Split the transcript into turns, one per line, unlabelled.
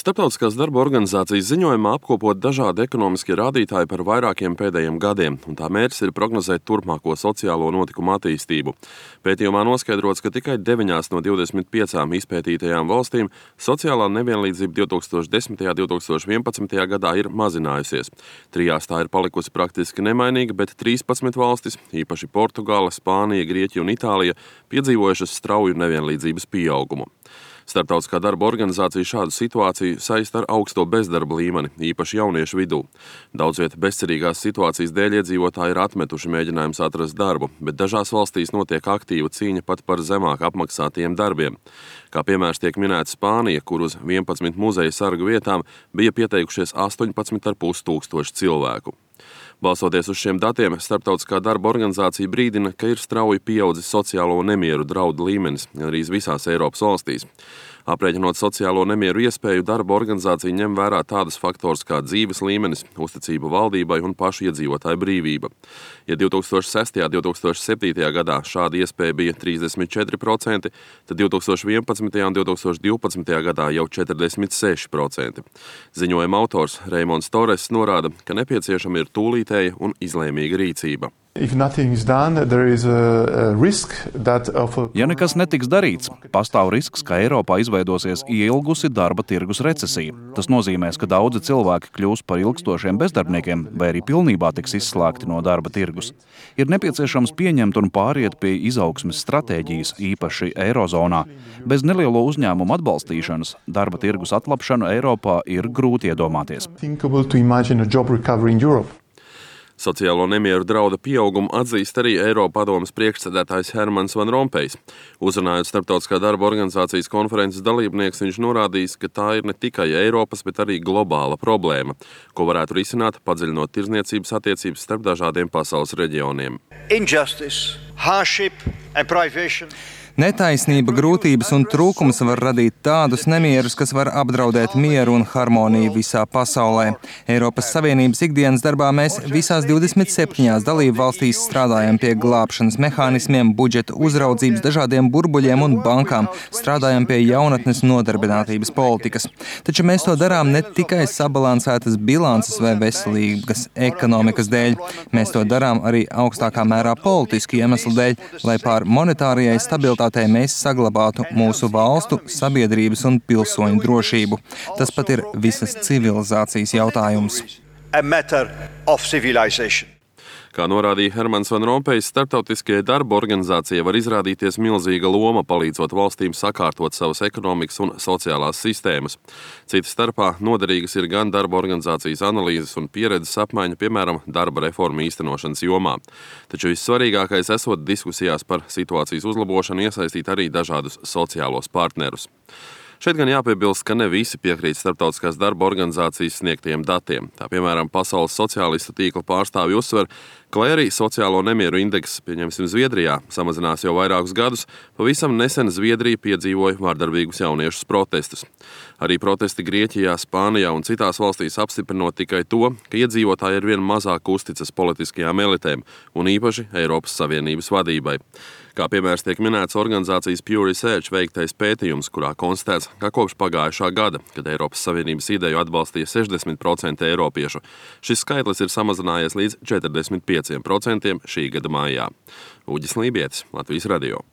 Starptautiskās darba organizācijas ziņojumā apkopot dažādi ekonomiskie rādītāji par vairākiem pēdējiem gadiem, un tā mērķis ir prognozēt turpmāko sociālo notikumu attīstību. Pētījumā noskaidrots, ka tikai 9 no 25 izpētītajām valstīm sociālā nevienlīdzība 2010. un 2011. gadā ir mazinājusies. 3 tā ir palikusi praktiski nemainīga, bet 13 valstis, īpaši Portugāle, Spānija, Grieķija un Itālija, piedzīvojušas strauju nevienlīdzības pieaugumu. Starptautiskā darba organizācija šādu situāciju saista ar augsto bezdarba līmeni, īpaši jauniešu vidū. Daudz vieta bezcerīgās situācijas dēļ iedzīvotāji ir atmetuši mēģinājumus atrast darbu, bet dažās valstīs notiek aktīva cīņa pat par zemāk apmaksātiem darbiem. Kā piemērs tiek minēta Spānija, kur uz 11 muzeja sargu vietām bija pieteikušies 18,5 tūkstoši cilvēku. Balsoties uz šiem datiem, Starptautiskā darba organizācija brīdina, ka ir strauji pieaudzis sociālo nemieru draudu līmenis arī visās Eiropas valstīs. Aprēķinot sociālo nemieru iespēju, darba organizācija ņem vērā tādas faktors kā dzīves līmenis, uzticība valdībai un pašu iedzīvotāju brīvība. Ja 2006. un 2007. gadā šāda iespēja bija 34%, tad 2011. un 2012. gadā jau 46%. Ziņojuma autors Reimonds Torres norāda, ka nepieciešama ir tūlītēja un izlēmīga rīcība.
Ja nekas netiks darīts, pastāv risks, ka Eiropā izveidosies ilgusi darba tirgus recesija. Tas nozīmēs, ka daudzi cilvēki kļūs par ilgstošiem bezdarbniekiem vai arī pilnībā tiks izslēgti no darba tirgus. Ir nepieciešams pieņemt un pāriet pie izaugsmes stratēģijas, īpaši Eirozonā. Bez nelielo uzņēmumu atbalstīšanas darba tirgus atlapšanu Eiropā ir grūti iedomāties.
Sociālo nemieru drauda pieaugumu atzīst arī Eiropadomes priekšsēdētājs Hermans Van Rompējs. Uzrunājot Starptautiskā darba organizācijas konferences dalībnieks, viņš norādījis, ka tā ir ne tikai Eiropas, bet arī globāla problēma, ko varētu risināt, padziļinot tirdzniecības attiecības starp dažādiem pasaules reģioniem.
Injustice, hardship and privation.
Netaisnība, grūtības un trūkums var radīt tādus nemierus, kas var apdraudēt mieru un harmoniju visā pasaulē. Eiropas Savienības ikdienas darbā mēs visās 27 dalību valstīs strādājam pie glābšanas mehānismiem, budžeta uzraudzības, dažādiem burbuļiem un bankām, strādājam pie jaunatnes nodarbinātības politikas. Taču mēs to darām ne tikai sabalansētas bilances vai veselīgas ekonomikas dēļ. Mēs to darām arī augstākā mērā politisku iemeslu dēļ, lai pār monetārijai stabilitātei mēs saglabātu mūsu valstu, sabiedrības un pilsoņu drošību. Tas pat ir visas civilizācijas jautājums.
Kā norādīja Hermans Van Rompējs, Starptautiskajai darba organizācijai var izrādīties milzīga loma, palīdzot valstīm sakārtot savas ekonomikas un sociālās sistēmas. Cita starpā noderīgas ir gan darba organizācijas analīzes un pieredzes apmaiņa, piemēram, darba reformu īstenošanas jomā. Taču vissvarīgākais esot diskusijās par situācijas uzlabošanu iesaistīt arī dažādus sociālos partnerus. Šeit gan jāpiebilst, ka ne visi piekrīt Starptautiskās darba organizācijas sniegtiem datiem. Tā piemēram, Pasaules sociālistu tīkla pārstāvji uzsver, ka lai arī sociālo nemieru indeks, pieņemsim Zviedrijā, samazinās jau vairākus gadus, pavisam nesen Zviedrija piedzīvoja vardarbīgus jauniešus protestus. Arī protesti Grieķijā, Spānijā un citās valstīs apstiprinot tikai to, ka iedzīvotāji ar vien mazāk uzticas politiskajām elitēm un īpaši Eiropas Savienības vadībai. Kā piemērs tiek minēts organizācijas Pew Research veiktais pētījums, kurā konstatēts, ka kopš pagājušā gada, kad Eiropas Savienības ideju atbalstīja 60% eiropiešu, šis skaitlis ir samazinājies līdz 45% šī gada maijā. Uģis Lībietis, Latvijas radio.